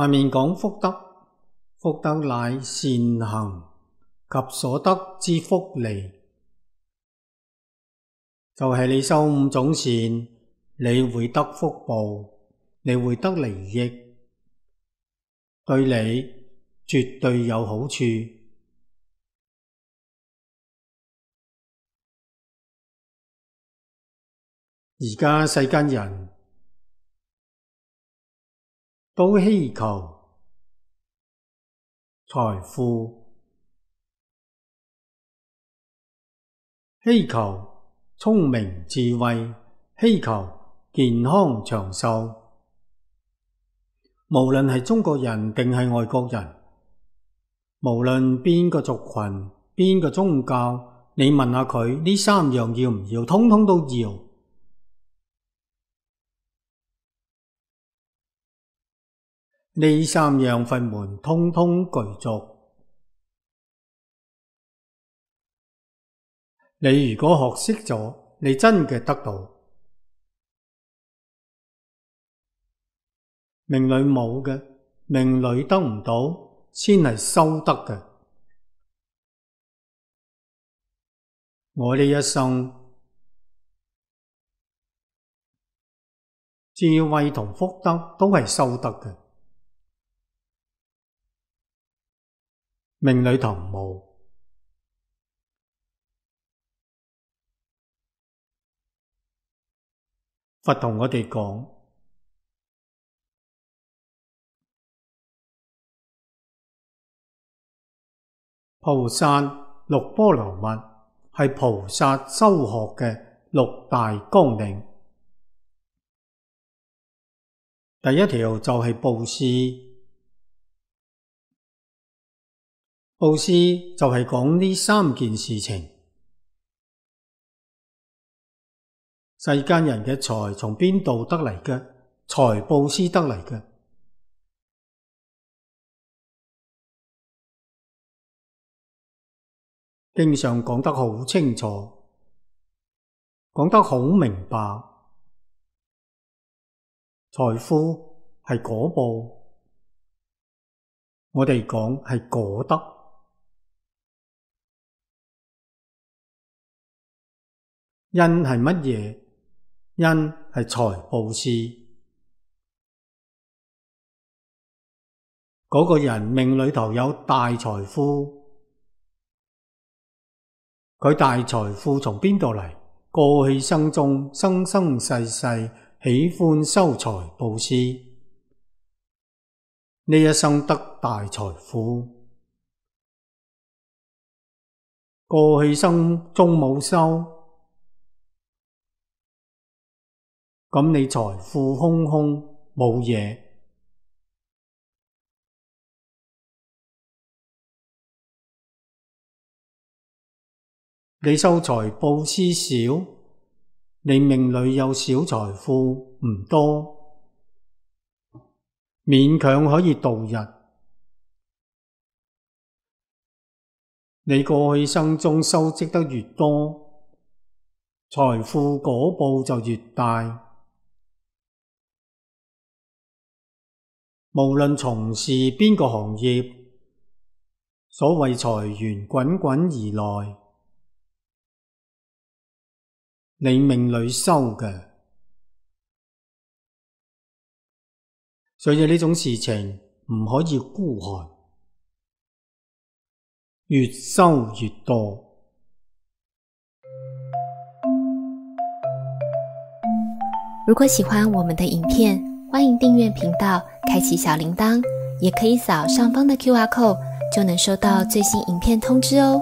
下面講福德，福德乃善行及所得之福利，就係你修五種善，你會得福報，你會得利益，對你絕對有好處。而家世間人都希求財富，希求聰明智慧，希求健康長壽。無論係中國人定係外國人，無論邊個族群，邊個宗教，你問下佢呢三樣要唔要，通通都要。呢三樣佛門通通具足。你如果學識咗，你真嘅得到。命裏冇嘅，命裏得唔到，先係修得嘅。我呢一生智慧同福德都係修得嘅。命裏頭冇，佛同我哋講，菩薩六波羅蜜係菩薩修學嘅六大綱領。第一條就係布施。布施就係講呢三件事情。世間人嘅財從邊度得嚟嘅？財布施得嚟嘅。經上講得好清楚，講得好明白。財富係果報，我哋講係果德。因係乜嘢？因係財布施。嗰個人命裏頭有大財富，佢大財富從邊度嚟？過去生中生生世世喜歡修財布施，呢一生得大財富。過去生中冇修，咁你財富空空冇嘢。你修財布施少，你命裏有小財富唔多，勉強可以度日。你過去生中修積得越多，財富果報就越大。無論從事邊個行業，所謂財源滾滾而來，你命裏修嘅。所以呢種事情唔可以孤寒，越修越多。如果喜歡我們的影片，歡迎訂閱頻道，開啟小鈴鐺，也可以掃上方的QR code，就能收到最新影片通知哦。